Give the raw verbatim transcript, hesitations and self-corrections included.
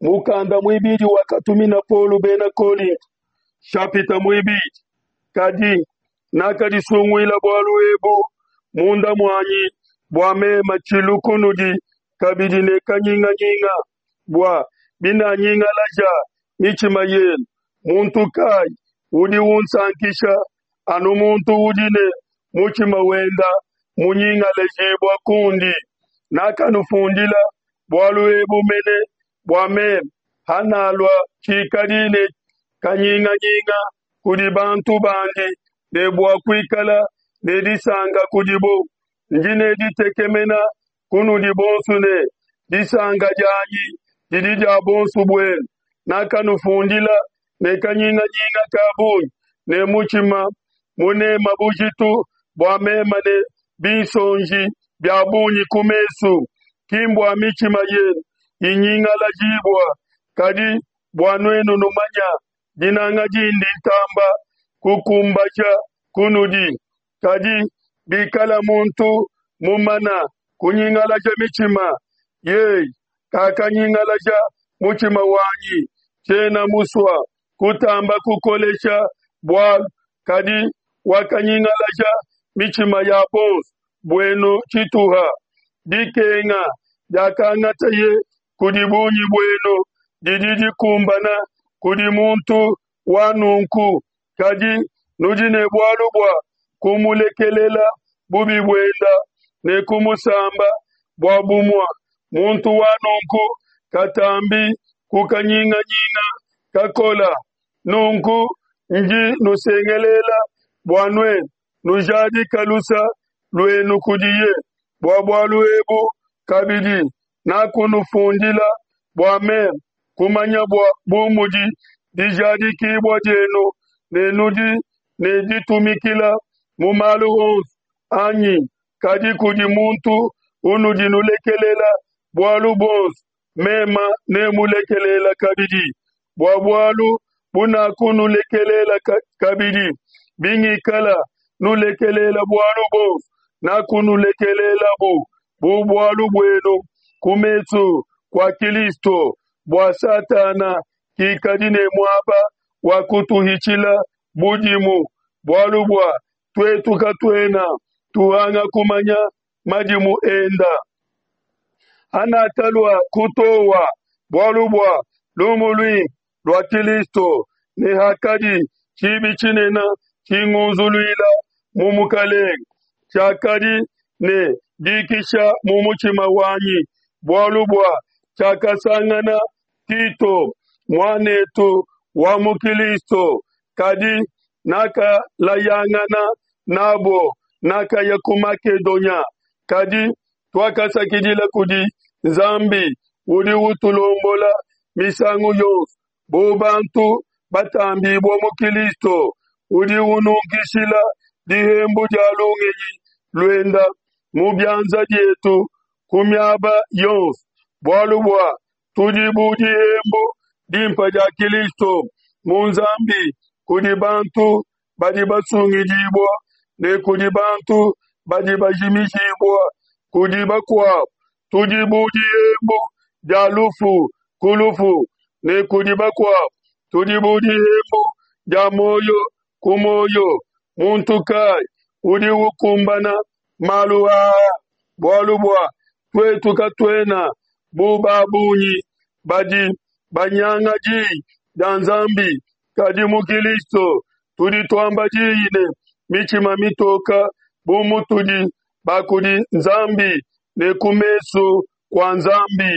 Mukanda muibidi wakatumina Paulo bena Kolinto nshapita muibidi. Kadi nakadisunguila bualu ebu munda muanyi bua meme tshilu kunudi kabidi ne kanyinganyinga, bua binanyingalaja mitshima yenu, muntu kai udi unsankisha, anu muntu udi ne mutshima wenda munyingalajibua kundi? Nakanufundila bualu ebu mene bua meme, hanalua, tshikadi ne kanyinganyinga kudi bantu bandi ne bua kuikala ne disanka kudibo. Ndi ne ditekemena kunudi bonso ne disanka dianyi didi dia buonso buenu. Nakanufundila ne kanyinganyinga ka bungi ne mutshima munema bujitu bua meme ne binsonji bia bungi ku mesu, ki mbua mitshima yenu inyingalajibua, kadi bua nuenu numanya dinanga dindi ntamba kukumbaja kunudi. Kadi bikala muntu mumana kunyingalaja mitshima, yeye kakanyingalaja mutshima wanyi. Tshiena musua kutamba kukolesha bualu, kadi wakanyingalaja mitshima ya bonso buenu tshituha. Dikenga diakangataye kudi bungi buenu didi dikumbana kudi muntu wa nunku, kadi nudi ne bualu bua kumulekelela bubi buenda ne kumusamba, bua bumua muntu wa nunku katambi ku kanyinganyinga kakola. Nunku ndi nusengelela bua nuenu nujadika lusa luenu kudiye. Bua bualu ebu kabidi nakunufundila bua meme kumanya bua bu mudi dijadikibua dienu ne nudi ne ditumikila mu malu onso anyi. Kadi kudi muntu unudi nulekelela bualu buonso, mema nemulekelela kabidi bua bualu bunakunulekelela kabidi. Bingikala nulekelela bualu buonso, nakunulekelelabu bu bualu buenu ku mesu kua Kilisto, bua Satana kikadi ne muaba wa kutuhitshila budimu, bualu bua tuetu katuena tuhanga kumanya madimu enda. Hanakalua kutoa bualu bua lumu luimpe lua Kilisto, ne hakadi tshibi tshinene tshingunzuluila mu Mukelenge, tshiakadi ne dikisha mu mutshima wanyi, bualu bua tshiakasangana Tito muan'etu wa mu Kilisto, kadi nakalayangana n'abo, nakaya ku Makedonia. Kadi tuakasakidila kudi Nzambi udi utulombola misangu yonso bu bantu batambibua mu Kilisto, udi ununkishila dihembu dia lungenyi luenda mu bianza bietu ku miaba yonso, bualu bua tudi bu dihembu dimpe dia Kilisto mu Nzambi kudi bantu badi basungidibua ne kudi bantu badi bajimijibua. Kudi bakuabo tudi bu dihembu dia lufu ku lufu, ne kudi bakuabo tudi bu dihembu dia muoyo ku muoyo. Muntu kai udi ukumbana malu aa? Bualu bua tuetu katuena bu ba bungi badi banyanga diyi dia Nzambi, kadi mu Kilisto tudi tuamba diyi ne mitshima mitoka bu mutudi ba kudi Nzambi ne ku mesu kua Nzambi.